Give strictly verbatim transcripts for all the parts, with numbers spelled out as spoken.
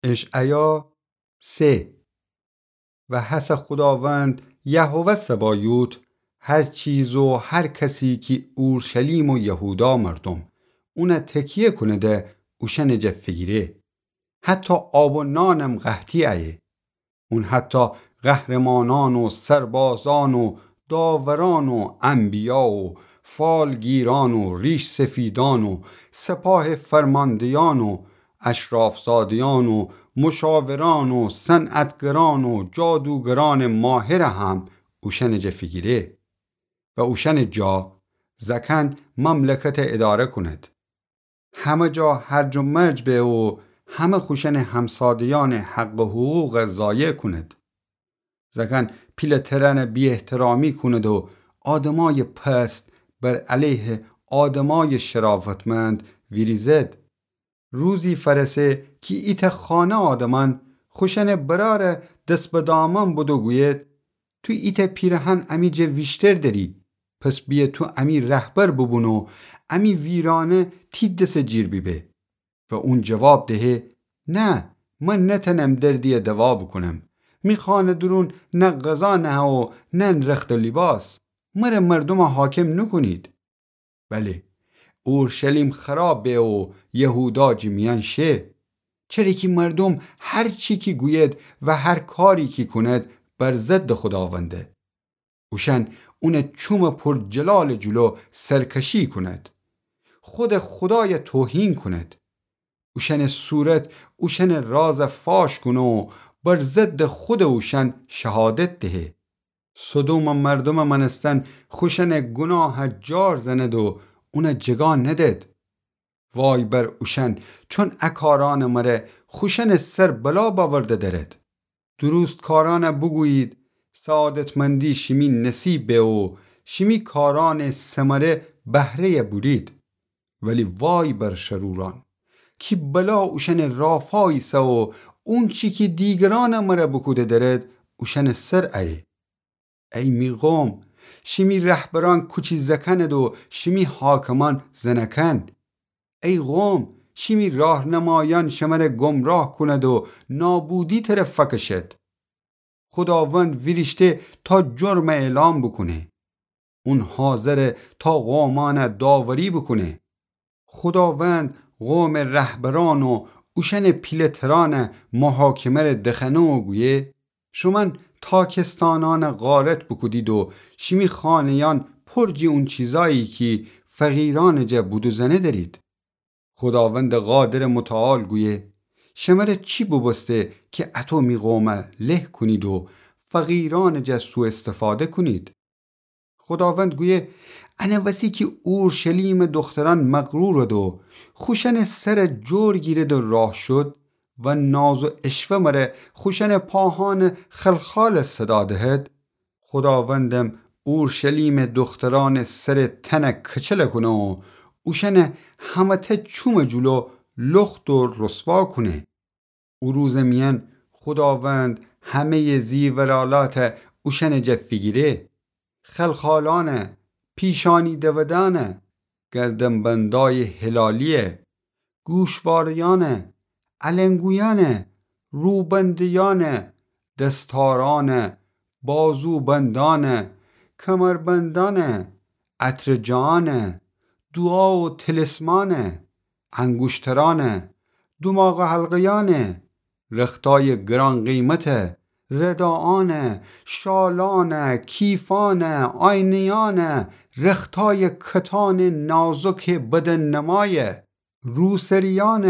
اشعیا سه. و هسه خوداوند، یهوه سبایوت، هر چیز و هر کسی کی اورشلیم و یهودا مردم اونه تکیه کونده، اوشأنٚ جا فیگیره. حتی آب و نانم قحطی ایه. اون حتی قهرمانأن و سربازأن و داورأن و انبیا و فالگیرأن و ریش‌سفیدأن و سپاه فرماندهیأن و اشرافزادهیأن و مشاورأن و صنعتگرأن و جادوگرأنٚ ماهر هم اوشأنٚ جا فیگیره. و اوشأنٚ جا زأکأن مملکت اداره کونید. همه جا هرج و مرج به و همه خوشأنٚ همسادهیأنٚ حق و حقوق ضایع کونید. زأکأن پیله‌ترأنٚ بی‌احترامی کونید و آدمأیٚ پست بر علیه آدمأیٚ شرافتمند ویریزید. روزی فأرسه کی ایتأ خانه آدمأن خوشأنٚ برأرٚ دس به دامن بدو گویید: تو ایتأ پیرهن امی جا ویشتر دأری، پس بیه تو امی رهبر بوبون و امی ویرانه تی دسٚ جیر بیبه. و اون جواب دهه: نه، من نتأنم دردیی دوا بوکونم. می خانه دورون نه غذا نهه و نه رخت و لیباس. مره مردوم حاکم نوکونید. بله، اورشلیم خراب به و یهودا جٚه میأن شه. چره کی مردوم هر چی کی گوید و هر کاری کی کونید بر ضدٚ خوداونده. اوشأن اونٚ چومٚ پر جلالٚ جلو سرکشی کونید. خودٚ خودای توهین کونید. اوشأنٚ صورت اوشأنٚ راز فاش کونه و بر ضدٚ خودٚ اوشأن شهادت دهه. سدومٚ مردومٚ مأنستن خوشأنٚ گوناه جار زنید و اون جگا ندید. وای بر اوشأن، چون ا کارأنٚ مره خوشأنٚ سر بلا بأورده دأرید. درستکارأن بوگویید: سعادتمندی شیمی نصیب به و شیمی کارأنٚ ثمره بهره‌ی بورید. ولی وای بر شرورأن، کی بلا اوشأنٚ رافا ایسه و اونچی کی دیگرأنٚ مره بوکوده دأرید اوشأنٚ سر ایه. ای می قوم، شیمی رهبرأن کوچی زأکأنید و شیمی حاکمأن زنأکأن. ای قوم، شیمی راهنمایأن شمره گمراه کونید و نابودی طرف فأکشید. خوداوند ویریشته تا جرم اعلام بوکونه. اون حاضره تا قومأن داوری بوکونه. خوداوند قومٚ رهبرأن و اوشأنٚ پیله‌ترأن محاکمه‌ره دخأنه و گویه: شومأن تاکستانأن غارت بوکودید و شیمی خانه‌یأن پر جٚه اون چیزأیی کی فقیرأنٚ جا بودوزأنه دأرید. خوداوندٚ قادرٚ متعال گویه: شمره چی بوبوسته کی اطو می قوم له کونید و فقیرأنٚ جا سوءاستفاده کونید؟ خوداوند گویه: انه وسی کی اورشلیمٚ دخترأن مغرورد و خوشأنٚ سر جور گیرد و راه شد و ناز و عشوه مره خوشأنٚ پاهأنٚ خلخال صدا دهد، خوداوندم اورشلیمٚ دخترأنٚ سر تن کچل کونه و اوشأن همه‌تأ چومٚ جلو لخت و رسوا کونه. او روزٚ میأن خوداوند همه‌یٚ زیورآلات اوشأنٚ جا فیگیره: خلخالأن، پیشانی دودأن، گردنبندأیٚ هلالی، گوشواره‌یأن، النگویأن، روبنده‌یأن، دستارأن، بازوبندأن، کمربندأن، عطرٚ جاأن، دوعا و طلسمأن، انگوشترأن، دوماغٚ حلقه‌یأن، رختأیٚ گران‌قیمت، رداأن، شالأن، کیفأن، آینه‌یأن، رختأیٚ کتانٚ نازکٚ بدن‌نمای، روسریأن،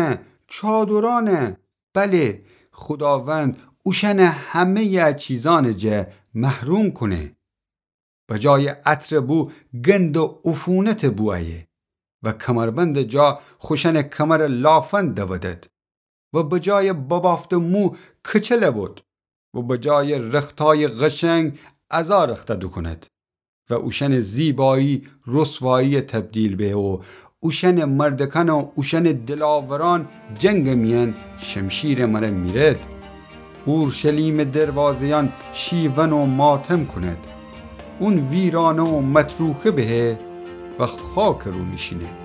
چادرأن، بله، خوداوند اوشأن همه‌یٚ ا چیزأنٚ جا محروم کونه. به جایٚ عطرٚ بو گندٚ عفونتٚ بو ایه و کمربندٚ جا خوشأنٚ کمر لافند دودد و به جایٚ ببافتٚ مو کچل بود و به جایٚ رختأیٚ قشنگ ازا رخته دوکوند و اوشأنٚ زیبایی رسوایی تبدیل به و اوشأنٚ مردکأن و اوشأنٚ دلاورأن جنگٚ میأن شمشیرٚ مره میرد. اورشلیمٚ دروازه‌یأن شیون و ماتم کونید. اون ویرانه و متروکه بهه و خاکٚ رو نیشینه.